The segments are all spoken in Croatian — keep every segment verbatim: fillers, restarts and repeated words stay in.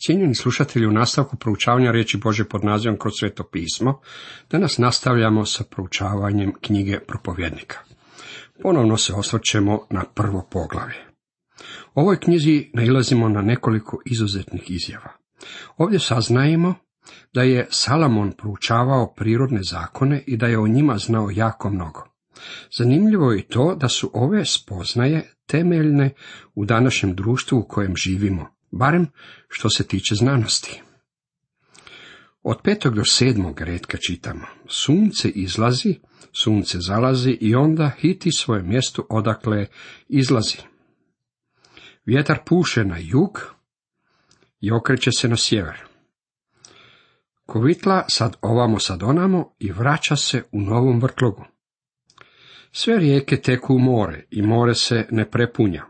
Cijenjeni slušatelji, u nastavku proučavanja riječi Božje pod nazivom Kroz Sveto pismo, danas nastavljamo sa proučavanjem knjige Propovjednika. Ponovno se osvrćemo na prvo poglavlje. U ovoj knjizi nailazimo na nekoliko izuzetnih izjava. Ovdje saznajemo da je Salomon proučavao prirodne zakone i da je o njima znao jako mnogo. Zanimljivo je i to da su ove spoznaje temeljne u današnjem društvu u kojem živimo, barem što se tiče znanosti. Od petog do sedmog retka čitamo: sunce izlazi, sunce zalazi i onda hiti svoje mjesto odakle izlazi. Vjetar puše na jug i okreće se na sjever. Kovitla sad ovamo sad onamo i vraća se u novom vrtlogu. Sve rijeke teku u more i more se ne prepunja.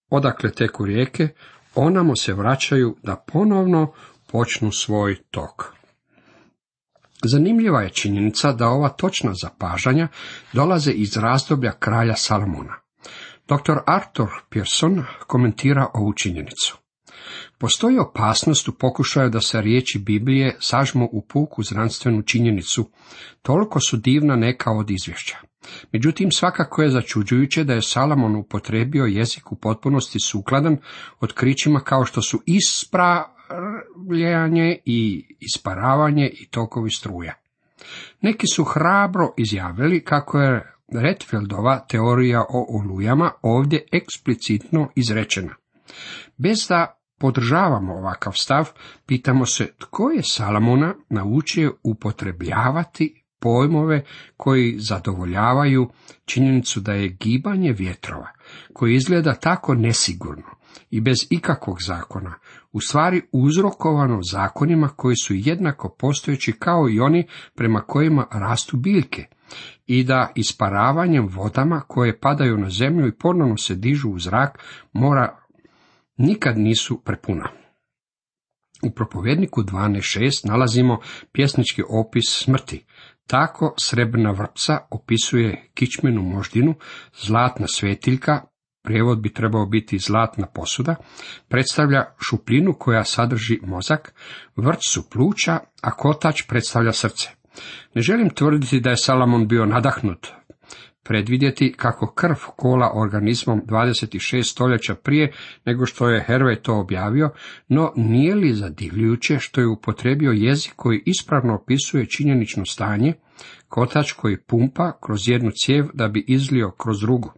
Odakle teku rijeke, onamo se vraćaju da ponovno počnu svoj tok. Zanimljiva je činjenica da ova točna zapažanja dolaze iz razdoblja kralja Salomona. doktor Arthur Pearson komentira ovu činjenicu. Postoji opasnost u pokušaju da se riječi Biblije sažmu u puku znanstvenu činjenicu, toliko su divna neka od izvješća. Međutim, svakako je začuđujuće da je Salomon upotrijebio jezik u potpunosti sukladan otkrićima kao što su ispravljanje i isparavanje i tokovi struja. Neki su hrabro izjavili kako je Redfieldova teorija o olujama ovdje eksplicitno izrečena. Bez da podržavamo ovakav stav, pitamo se tko je Salomona naučio upotrebljavati pojmove koji zadovoljavaju činjenicu da je gibanje vjetrova, koji izgleda tako nesigurno i bez ikakvog zakona, u stvari uzrokovano zakonima koji su jednako postojeći kao i oni prema kojima rastu biljke, i da isparavanjem vodama koje padaju na zemlju i ponovno se dižu u zrak mora nikad nisu prepuna. U Propovjedniku dvanaest šest nalazimo pjesnički opis smrti. Tako srebrna vrpca opisuje kičmenu moždinu, zlatna svetiljka, prijevod bi trebao biti zlatna posuda, predstavlja šupljinu koja sadrži mozak, vrč su pluća, a kotač predstavlja srce. Ne želim tvrditi da je Salomon bio nadahnut predvidjeti kako krv kola organizmom dvadeset šest stoljeća prije nego što je Hervey to objavio, no nije li zadivljujuće što je upotrijebio jezik koji ispravno opisuje činjenično stanje, kotač koji pumpa kroz jednu cijev da bi izlio kroz drugu.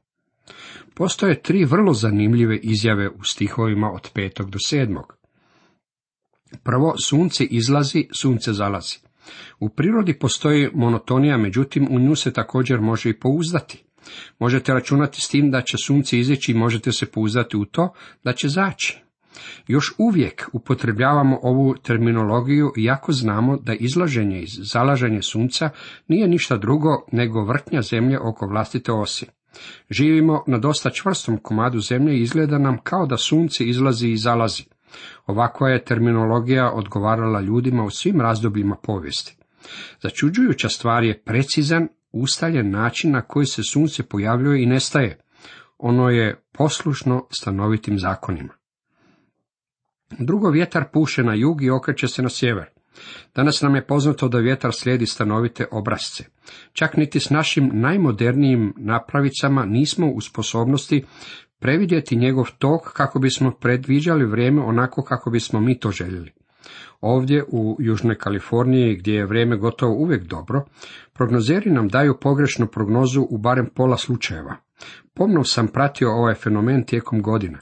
Postoje tri vrlo zanimljive izjave u stihovima od petog do sedmog. Prvo, sunce izlazi, sunce zalazi. U prirodi postoji monotonija, međutim u nju se također može i pouzdati. Možete računati s tim da će sunce izaći i možete se pouzdati u to da će zaći. Još uvijek upotrebljavamo ovu terminologiju iako znamo da izlaženje i zalaženje sunca nije ništa drugo nego vrtnja zemlje oko vlastite osi. Živimo na dosta čvrstom komadu zemlje i izgleda nam kao da sunce izlazi i zalazi. Ovakva je terminologija odgovarala ljudima u svim razdobljima povijesti. Začuđujuća stvar je precizan, ustaljen način na koji se sunce pojavljuje i nestaje. Ono je poslušno stanovitim zakonima. Drugo, vjetar puše na jug i okreće se na sjever. Danas nam je poznato da vjetar slijedi stanovite obrasce. Čak niti s našim najmodernijim napravicama nismo u sposobnosti previdjeti njegov tok kako bismo predviđali vrijeme onako kako bismo mi to željeli. Ovdje u Južnoj Kaliforniji, gdje je vrijeme gotovo uvijek dobro, prognozeri nam daju pogrešnu prognozu u barem pola slučajeva. Pomno sam pratio ovaj fenomen tijekom godina.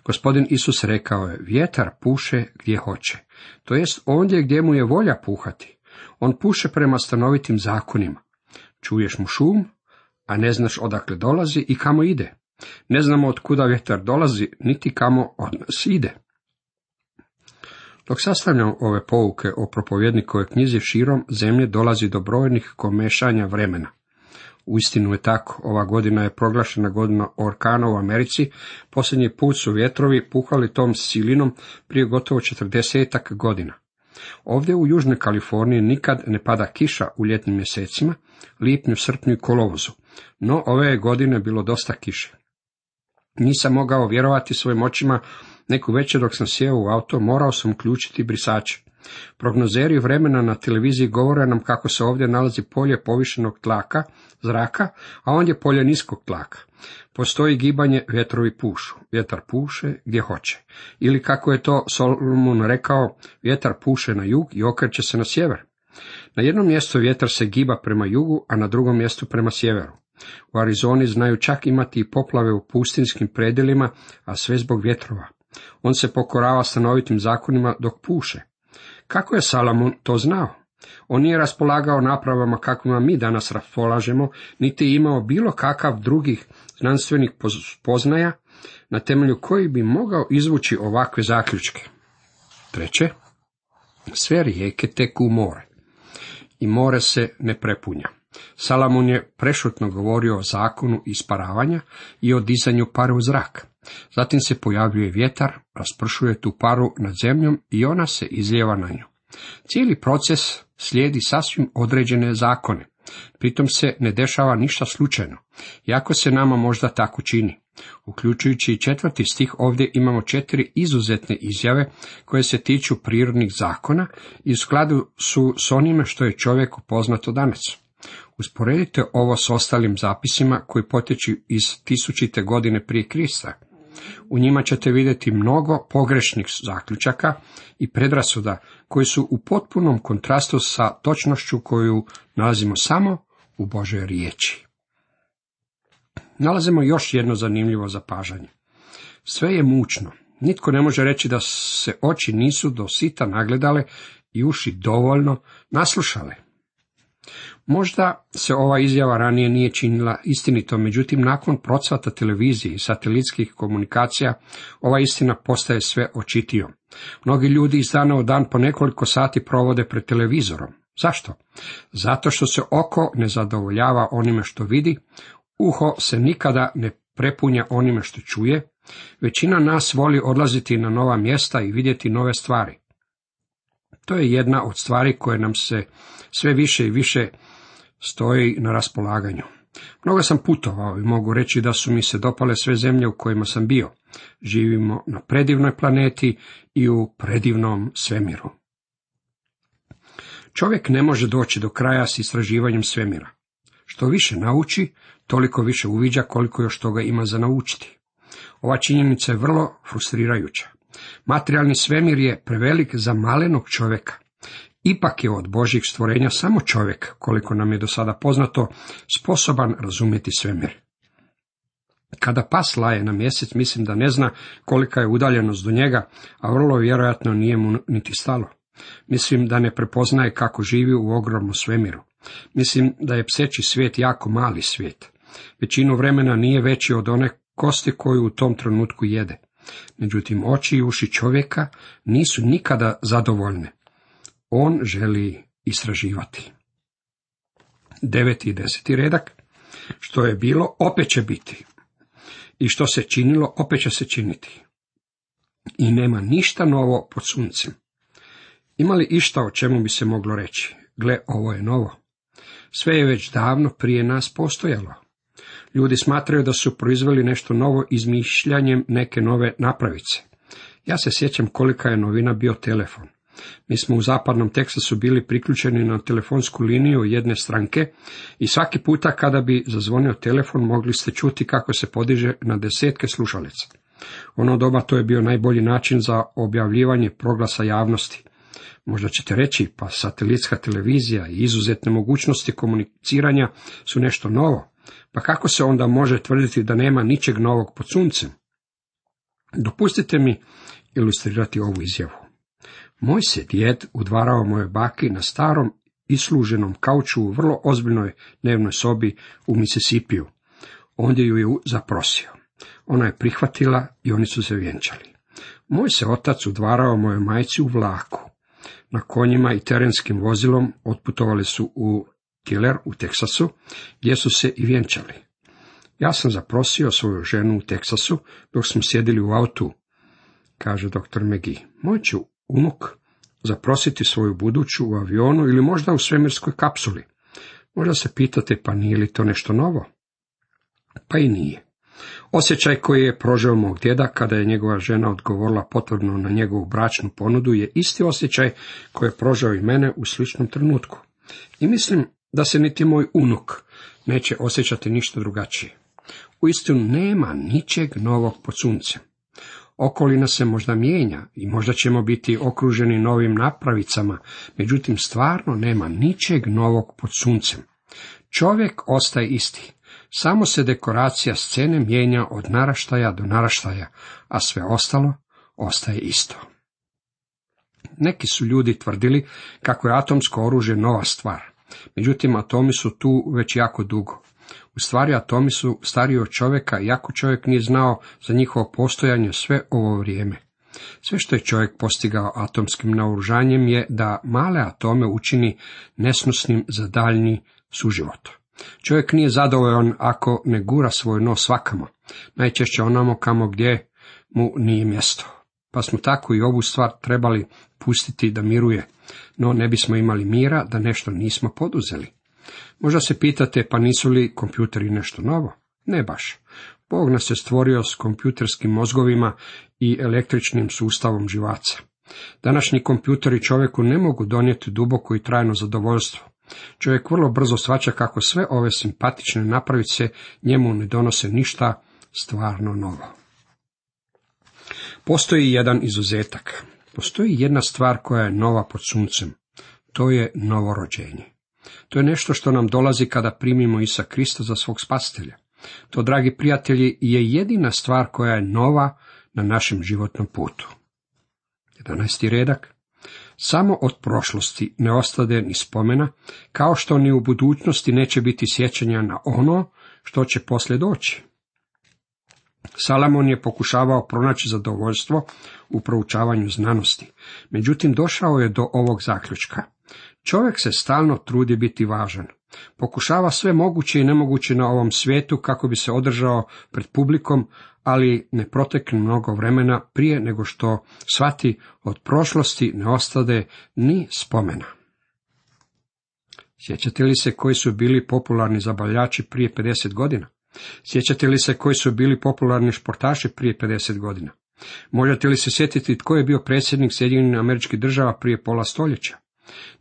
Gospodin Isus rekao je: vjetar puše gdje hoće, to jest ondje gdje mu je volja puhati. On puše prema stanovitim zakonima. Čuješ mu šum, a ne znaš odakle dolazi i kamo ide. Ne znamo od kuda vjetar dolazi, niti kamo od nas ide. Dok sastavljam ove pouke o propovjednikovoj knjizi, širom zemlje dolazi do brojnih komešanja vremena. Uistinu je tako, ova godina je proglašena godina orkana u Americi, posljednji put su vjetrovi puhali tom silinom prije gotovo četrdesetak godina. Ovdje u Južnoj Kaliforniji nikad ne pada kiša u ljetnim mjesecima, lipnju, srpnju i kolovozu, no ove je godine bilo dosta kiše. Nisam mogao vjerovati svojim očima Neku večer dok sam sjeo u auto, morao sam uključiti brisače. Prognozeri vremena na televiziji govore nam kako se ovdje nalazi polje povišenog tlaka, zraka, a ondje polje niskog tlaka. Postoji gibanje, vjetrovi pušu. Vjetar puše gdje hoće. Ili kako je to Solomon rekao, vjetar puše na jug i okreće se na sjever. Na jednom mjestu vjetar se giba prema jugu, a na drugom mjestu prema sjeveru. U Arizoni znaju čak imati i poplave u pustinskim predjelima, a sve zbog vjetrova. On se pokorava stanovitim zakonima dok puše. Kako je Salomon to znao? On nije raspolagao napravama kakvima mi danas raspolažemo, niti imao bilo kakav drugih znanstvenih spoznaja, na temelju kojih bi mogao izvući ovakve zaključke. Treće, sve rijeke teku u more i more se ne prepunja. Salomon je prešutno govorio o zakonu isparavanja i o dizanju pare u zrak. Zatim se pojavljuje vjetar, raspršuje tu paru nad zemljom i ona se izlijeva na nju. Cijeli proces slijedi sasvim određene zakone. Pritom se ne dešava ništa slučajno, iako se nama možda tako čini. Uključujući i četvrti stih, ovdje imamo četiri izuzetne izjave koje se tiču prirodnih zakona i u skladu su s onime što je čovjeku poznato danas. Usporedite ovo s ostalim zapisima koji potječu iz tisućite godine prije Krista. U njima ćete vidjeti mnogo pogrešnih zaključaka i predrasuda koji su u potpunom kontrastu sa točnošću koju nalazimo samo u Božoj riječi. Nalazimo još jedno zanimljivo zapažanje. Sve je mučno. Nitko ne može reći da se oči nisu do sita nagledale i uši dovoljno naslušale. Možda se ova izjava ranije nije činila istinito, međutim nakon procvata televizije i satelitskih komunikacija ova istina postaje sve očitijom. Mnogi ljudi iz dana u dan po nekoliko sati provode pred televizorom. Zašto? Zato što se oko ne zadovoljava onime što vidi, uho se nikada ne prepunja onime što čuje, većina nas voli odlaziti na nova mjesta i vidjeti nove stvari. To je jedna od stvari koje nam se sve više i više stoji na raspolaganju. Mnogo sam putovao i mogu reći da su mi se dopale sve zemlje u kojima sam bio. Živimo na predivnoj planeti i u predivnom svemiru. Čovjek ne može doći do kraja s istraživanjem svemira. Što više nauči, toliko više uviđa koliko još toga ima za naučiti. Ova činjenica je vrlo frustrirajuća. Materijalni svemir je prevelik za malenog čovjeka. Ipak je od Božjih stvorenja samo čovjek, koliko nam je do sada poznato, sposoban razumjeti svemir. Kada pas laje na mjesec, mislim da ne zna kolika je udaljenost do njega, a vrlo vjerojatno nije mu niti stalo. Mislim da ne prepoznaje kako živi u ogromnom svemiru. Mislim da je pseći svijet jako mali svijet. Većinu vremena nije veći od one kosti koju u tom trenutku jede. Međutim, oči i uši čovjeka nisu nikada zadovoljne. On želi istraživati. Deveti i deseti redak. Što je bilo, opet će biti. I što se činilo, opet će se činiti. I nema ništa novo pod suncem. Ima li išta o čemu bi se moglo reći? Gle, ovo je novo. Sve je već davno prije nas postojalo. Ljudi smatraju da su proizveli nešto novo izmišljanjem neke nove napravice. Ja se sjećam kolika je novina bio telefon. Mi smo u zapadnom Teksasu bili priključeni na telefonsku liniju jedne stranke i svaki puta kada bi zazvonio telefon mogli ste čuti kako se podiže na desetke slušalica. Ono doba to je bio najbolji način za objavljivanje proglasa javnosti. Možda ćete reći, pa satelitska televizija i izuzetne mogućnosti komuniciranja su nešto novo. Pa kako se onda može tvrditi da nema ničeg novog pod suncem? Dopustite mi ilustrirati ovu izjavu. Moj se djed udvarao moje baki na starom isluženom kauču u vrlo ozbiljnoj dnevnoj sobi u Mississippiju. Ondje ju je zaprosio. Ona je prihvatila i oni su se vjenčali. Moj se otac udvarao moje majci u vlaku. Na konjima i terenskim vozilom otputovali su u Killer u Teksasu, gdje su se i vjenčali. Ja sam zaprosio svoju ženu u Teksasu dok smo sjedili u autu, kaže doktor McGee. Moj ću unuk zaprositi svoju buduću u avionu ili možda u svemirskoj kapsuli. Možda se pitate, pa nije li to nešto novo? Pa i nije. Osjećaj koji je prožeo mog djeda kada je njegova žena odgovorila potvrdno na njegovu bračnu ponudu je isti osjećaj koji je prožeo i mene u sličnom trenutku. I mislim da se niti moj unuk neće osjećati ništa drugačije. Uistinu nema ničeg novog pod suncem. Okolina se možda mijenja i možda ćemo biti okruženi novim napravicama, međutim stvarno nema ničeg novog pod suncem. Čovjek ostaje isti, samo se dekoracija scene mijenja od naraštaja do naraštaja, a sve ostalo ostaje isto. Neki su ljudi tvrdili kako je atomsko oružje nova stvar, međutim atomi su tu već jako dugo. U stvari atomi su stariji od čovjeka, iako čovjek nije znao za njihovo postojanje sve ovo vrijeme. Sve što je čovjek postigao atomskim naoružanjem je da male atome učini nesnosnim za daljnji suživot. Čovjek nije zadovoljan ako ne gura svoj nos svakamo, najčešće onamo kamo gdje mu nije mjesto. Pa smo tako i ovu stvar trebali pustiti da miruje, no ne bismo imali mira da nešto nismo poduzeli. Možda se pitate, pa nisu li kompjuteri nešto novo? Ne baš. Bog nas je stvorio s kompjuterskim mozgovima i električnim sustavom živaca. Današnji kompjuteri čovjeku ne mogu donijeti duboko i trajno zadovoljstvo. Čovjek vrlo brzo shvaća kako sve ove simpatične napravice njemu ne donose ništa stvarno novo. Postoji jedan izuzetak. Postoji jedna stvar koja je nova pod suncem. To je novorođenje. To je nešto što nam dolazi kada primimo Isusa Krista za svog spasitelja. To, dragi prijatelji, je jedina stvar koja je nova na našem životnom putu. jedanaesti redak. Samo od prošlosti ne ostade ni spomena, kao što ni u budućnosti neće biti sjećanja na ono što će poslije doći. Salomon je pokušavao pronaći zadovoljstvo u proučavanju znanosti, međutim došao je do ovog zaključka. Čovjek se stalno trudi biti važan. Pokušava sve moguće i nemoguće na ovom svijetu kako bi se održao pred publikom, ali ne protekne mnogo vremena prije nego što shvati od prošlosti ne ostade ni spomena. Sjećate li se koji su bili popularni zabavljači prije pedeset godina? Sjećate li se koji su bili popularni športaši prije pedeset godina? Možete li se sjetiti tko je bio predsjednik Sjedinjenih Američkih Država prije pola stoljeća?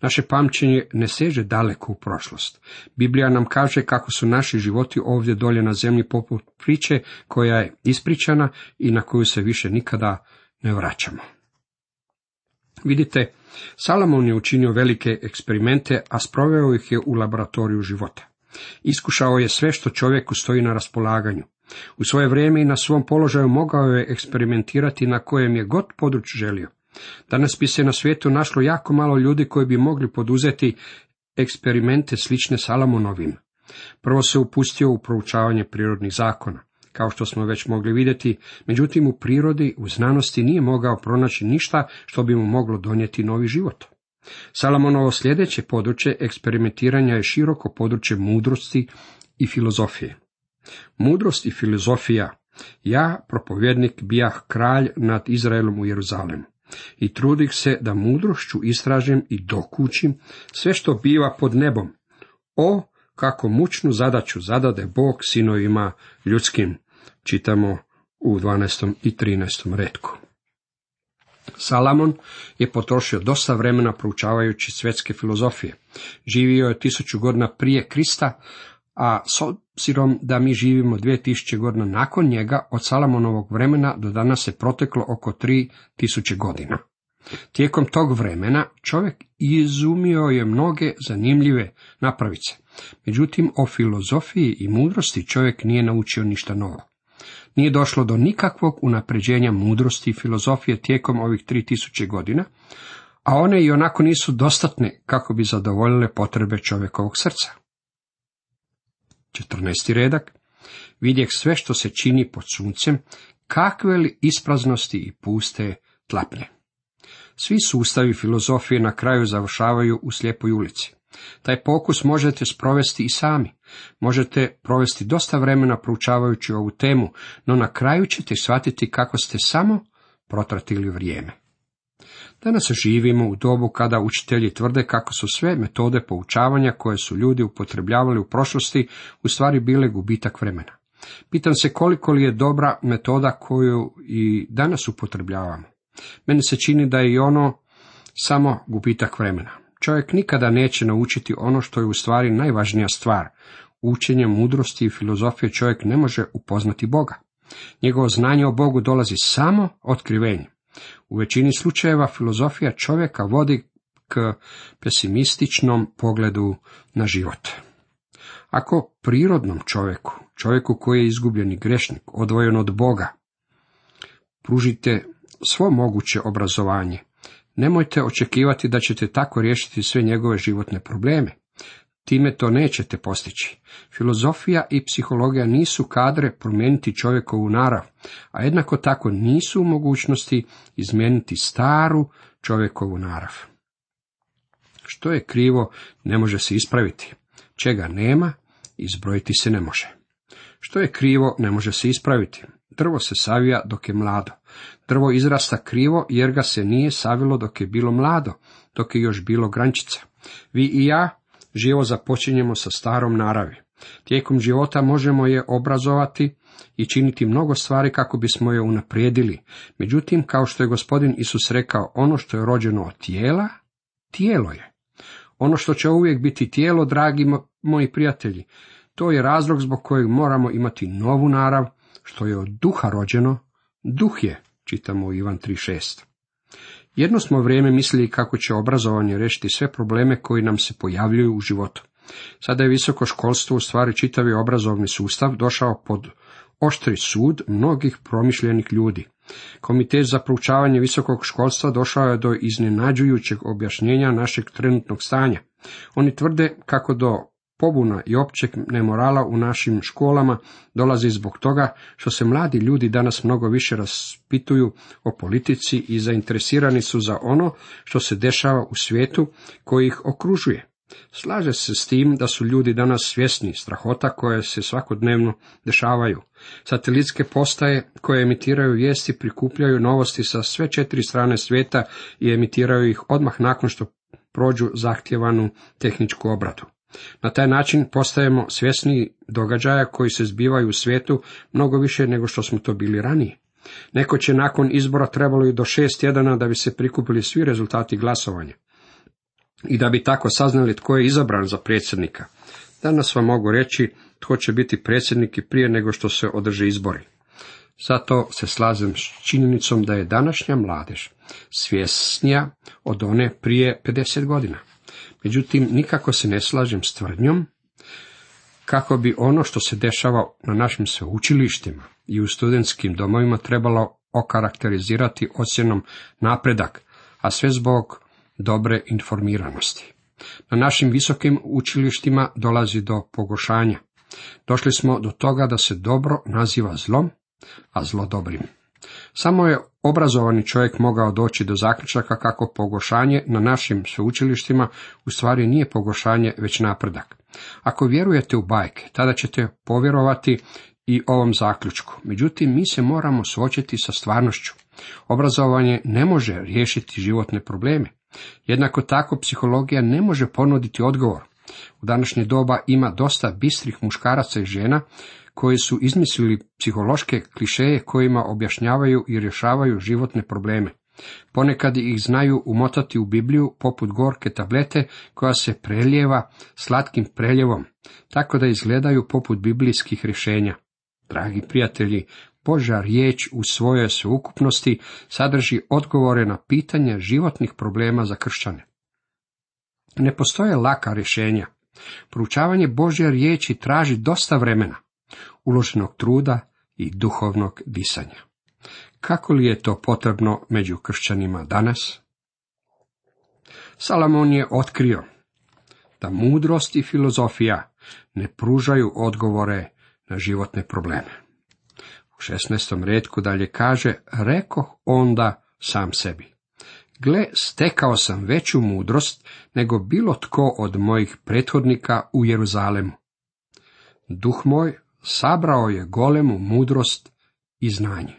Naše pamćenje ne seže daleko u prošlost. Biblija nam kaže kako su naši životi ovdje dolje na zemlji poput priče koja je ispričana i na koju se više nikada ne vraćamo. Vidite, Salomon je učinio velike eksperimente, a sproveo ih je u laboratoriju života. Iskušao je sve što čovjeku stoji na raspolaganju. U svoje vrijeme i na svom položaju mogao je eksperimentirati na kojem je god području želio. Danas bi se na svijetu našlo jako malo ljudi koji bi mogli poduzeti eksperimente slične Salomonovim. Prvo se upustio u proučavanje prirodnih zakona. Kao što smo već mogli vidjeti, međutim u prirodi, u znanosti nije mogao pronaći ništa što bi mu moglo donijeti novi život. Salomonovo sljedeće područje eksperimentiranja je široko područje mudrosti i filozofije. Mudrost i filozofija. Ja, propovjednik, bijah kralj nad Izraelom u Jeruzalemu i trudim se da mudrošću istražim i dokučim sve što biva pod nebom. O, kako mučnu zadaću zadade Bog sinovima ljudskim, čitamo u dvanaestom i trinaestom retku. Salomon je potrošio dosta vremena proučavajući svjetske filozofije. Živio je tisuću godina prije Krista, a s obzirom da mi živimo dvije tisuće godina nakon njega, od Salomonovog vremena do danas se proteklo oko tri tisuće godina. Tijekom tog vremena čovjek izumio je mnoge zanimljive napravice. Međutim, o filozofiji i mudrosti čovjek nije naučio ništa novo. Nije došlo do nikakvog unapređenja mudrosti i filozofije tijekom ovih tri tisuće godina, a one i onako nisu dostatne kako bi zadovoljile potrebe čovjekovog srca. četrnaesti redak. Vidjeh sve što se čini pod suncem, kakve li ispraznosti i puste tlapnje. Svi sustavi filozofije na kraju završavaju u slijepoj ulici. Taj pokus možete sprovesti i sami. Možete provesti dosta vremena proučavajući ovu temu, no na kraju ćete shvatiti kako ste samo protratili vrijeme. Danas živimo u dobu kada učitelji tvrde kako su sve metode poučavanja koje su ljudi upotrebljavali u prošlosti u stvari bile gubitak vremena. Pitam se koliko li je dobra metoda koju i danas upotrebljavamo. Meni se čini da je i ono samo gubitak vremena. Čovjek nikada neće naučiti ono što je u stvari najvažnija stvar. Učenjem mudrosti i filozofije čovjek ne može upoznati Boga. Njegovo znanje o Bogu dolazi samo otkrivenjem. U većini slučajeva filozofija čovjeka vodi k pesimističnom pogledu na život. Ako prirodnom čovjeku, čovjeku koji je izgubljeni grešnik, odvojen od Boga, pružite svo moguće obrazovanje, nemojte očekivati da ćete tako riješiti sve njegove životne probleme. Time to nećete postići. Filozofija i psihologija nisu kadre promijeniti čovjekovu narav, a jednako tako nisu u mogućnosti izmijeniti staru čovjekovu narav. Što je krivo, ne može se ispraviti. Čega nema, izbrojiti se ne može. Što je krivo, ne može se ispraviti. Drvo se savija dok je mlado. Drvo izrasta krivo jer ga se nije savilo dok je bilo mlado, dok je još bilo grančica. Vi i ja živo započinjemo sa starom naravi. Tijekom života možemo je obrazovati i činiti mnogo stvari kako bismo je unaprijedili. Međutim, kao što je gospodin Isus rekao, ono što je rođeno od tijela, tijelo je. Ono što će uvijek biti tijelo, dragi moji prijatelji, to je razlog zbog kojeg moramo imati novu narav, što je od duha rođeno, duh je, čitamo u Ivan tri šest. Jedno smo vrijeme mislili kako će obrazovanje riješiti sve probleme koji nam se pojavljuju u životu. Sada je visoko školstvo, u stvari čitavi obrazovni sustav, došao pod oštri sud mnogih promišljenih ljudi. Komitet za proučavanje visokog školstva došao je do iznenađujućeg objašnjenja našeg trenutnog stanja. Oni tvrde kako do pobuna i općeg nemorala u našim školama dolazi zbog toga što se mladi ljudi danas mnogo više raspituju o politici i zainteresirani su za ono što se dešava u svijetu koji ih okružuje. Slaže se s tim da su ljudi danas svjesni strahota koje se svakodnevno dešavaju. Satelitske postaje koje emitiraju vijesti prikupljaju novosti sa sve četiri strane svijeta i emitiraju ih odmah nakon što prođu zahtjevanu tehničku obradu. Na taj način postajemo svjesni događaja koji se zbivaju u svijetu mnogo više nego što smo to bili ranije. Neko će nakon izbora trebalo i do šest tjedana da bi se prikupili svi rezultati glasovanja i da bi tako saznali tko je izabran za predsjednika. Danas vam mogu reći tko će biti predsjednik i prije nego što se održe izbori. Zato se slažem s činjenicom da je današnja mladež svjesnija od one prije pedeset godina. Međutim, nikako se ne slažem s tvrdnjom kako bi ono što se dešava na našim sveučilištima i u studentskim domovima trebalo okarakterizirati ocjenom napredak, a sve zbog dobre informiranosti. Na našim visokim učilištima dolazi do pogoršanja. Došli smo do toga da se dobro naziva zlom, a zlo dobrim. Samo je obrazovani čovjek mogao doći do zaključaka kako pogoršanje na našim sveučilištima u stvari nije pogoršanje, već napredak. Ako vjerujete u bajke, tada ćete povjerovati i ovom zaključku. Međutim, mi se moramo suočiti sa stvarnošću. Obrazovanje ne može riješiti životne probleme. Jednako tako, psihologija ne može ponuditi odgovor. U današnje doba ima dosta bistrih muškaraca i žena koji su izmislili psihološke klišeje kojima objašnjavaju i rješavaju životne probleme. Ponekad ih znaju umotati u Bibliju poput gorke tablete koja se prelijeva slatkim preljevom, tako da izgledaju poput biblijskih rješenja. Dragi prijatelji, Božja riječ u svojoj sveukupnosti sadrži odgovore na pitanja životnih problema za kršćane. Ne postoje laka rješenja. Proučavanje Božje riječi traži dosta vremena, uloženog truda i duhovnog disanja. Kako li je to potrebno među kršćanima danas? Salomon je otkrio da mudrost i filozofija ne pružaju odgovore na životne probleme. U šesnaestom retku dalje kaže, rekoh onda sam sebi, gle, stekao sam veću mudrost nego bilo tko od mojih prethodnika u Jeruzalemu. Duh moj sabrao je golemu mudrost i znanje.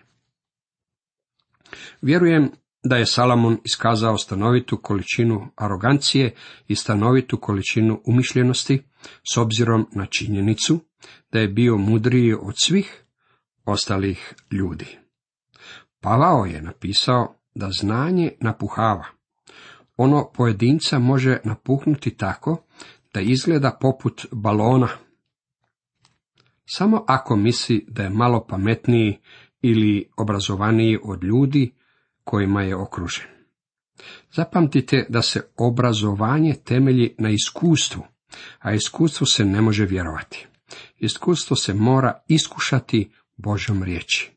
Vjerujem da je Salomon iskazao stanovitu količinu arogancije i stanovitu količinu umišljenosti s obzirom na činjenicu da je bio mudriji od svih ostalih ljudi. Pavao je napisao da znanje napuhava. Ono pojedinca može napuhnuti tako da izgleda poput balona. Samo ako misli da je malo pametniji ili obrazovaniji od ljudi kojima je okružen. Zapamtite da se obrazovanje temelji na iskustvu, a iskustvu se ne može vjerovati. Iskustvo se mora iskušati Božjom riječi.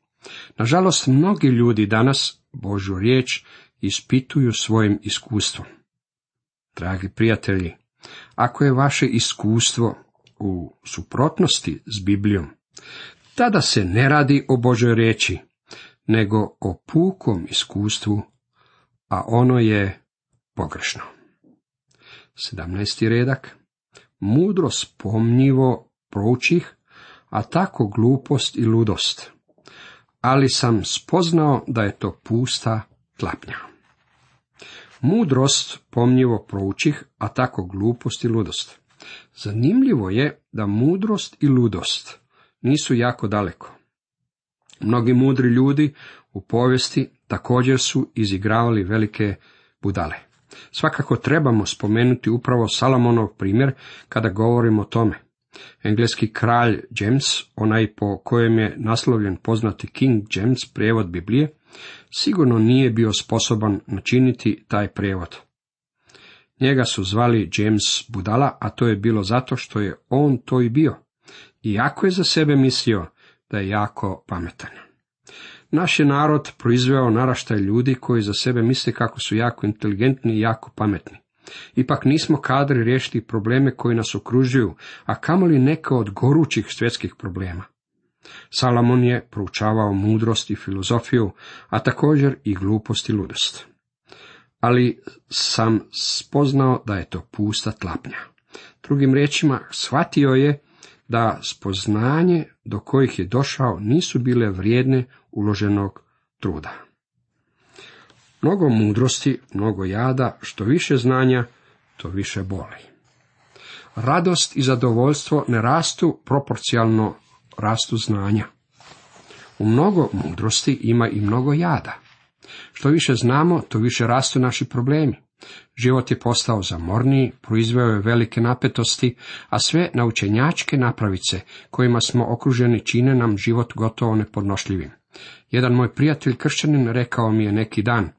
Nažalost, mnogi ljudi danas Božju riječ ispituju svojim iskustvom. Dragi prijatelji, ako je vaše iskustvo u suprotnosti s Biblijom, tada se ne radi o Božjoj riječi, nego o pukom iskustvu, a ono je pogrešno. sedamnaesti redak. Mudrost pomnjivo proučih, a tako glupost i ludost. Ali sam spoznao da je to pusta tlapnja. Mudrost pomnjivo proučih, a tako glupost i ludost. Zanimljivo je da mudrost i ludost nisu jako daleko. Mnogi mudri ljudi u povijesti također su izigravali velike budale. Svakako trebamo spomenuti upravo Salomonov primjer kada govorimo o tome. Engleski kralj James, onaj po kojem je naslovljen poznati King James prijevod Biblije, sigurno nije bio sposoban načiniti taj prijevod. Njega su zvali James budala, a to je bilo zato što je on to i bio, iako je za sebe mislio da je jako pametan. Naš je narod proizveo naraštaj ljudi koji za sebe misle kako su jako inteligentni i jako pametni. Ipak nismo kadri riješiti probleme koji nas okružuju, a kamoli neke od gorućih svjetskih problema. Salomon je proučavao mudrost i filozofiju, a također i glupost i ludost. Ali sam spoznao da je to pusta tlapnja. Drugim riječima, shvatio je da spoznanje do kojih je došao nisu bile vrijedne uloženog truda. Mnogo mudrosti, mnogo jada, što više znanja, to više boli. Radost i zadovoljstvo ne rastu proporcionalno rastu znanja. U mnogo mudrosti ima i mnogo jada. Što više znamo, to više rastu naši problemi. Život je postao zamorniji, proizveo je velike napetosti, a sve naučenjačke napravice kojima smo okruženi čine nam život gotovo nepodnošljivim. Jedan moj prijatelj kršćanin rekao mi je neki dan: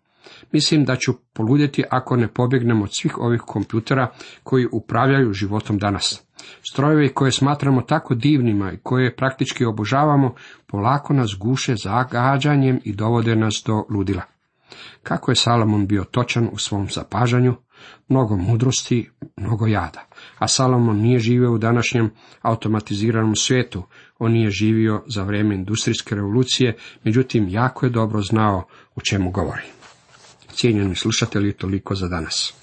mislim da ću poludjeti ako ne pobjegnem od svih ovih kompjutera koji upravljaju životom danas. Strojevi koje smatramo tako divnima i koje praktički obožavamo, polako nas guše zagađanjem i dovode nas do ludila. Kako je Salomon bio točan u svom zapažanju, mnogo mudrosti, mnogo jada. A Salomon nije živio u današnjem automatiziranom svijetu, on nije živio za vrijeme industrijske revolucije, međutim jako je dobro znao o čemu govori. Cijenjeni slušatelji, toliko za danas.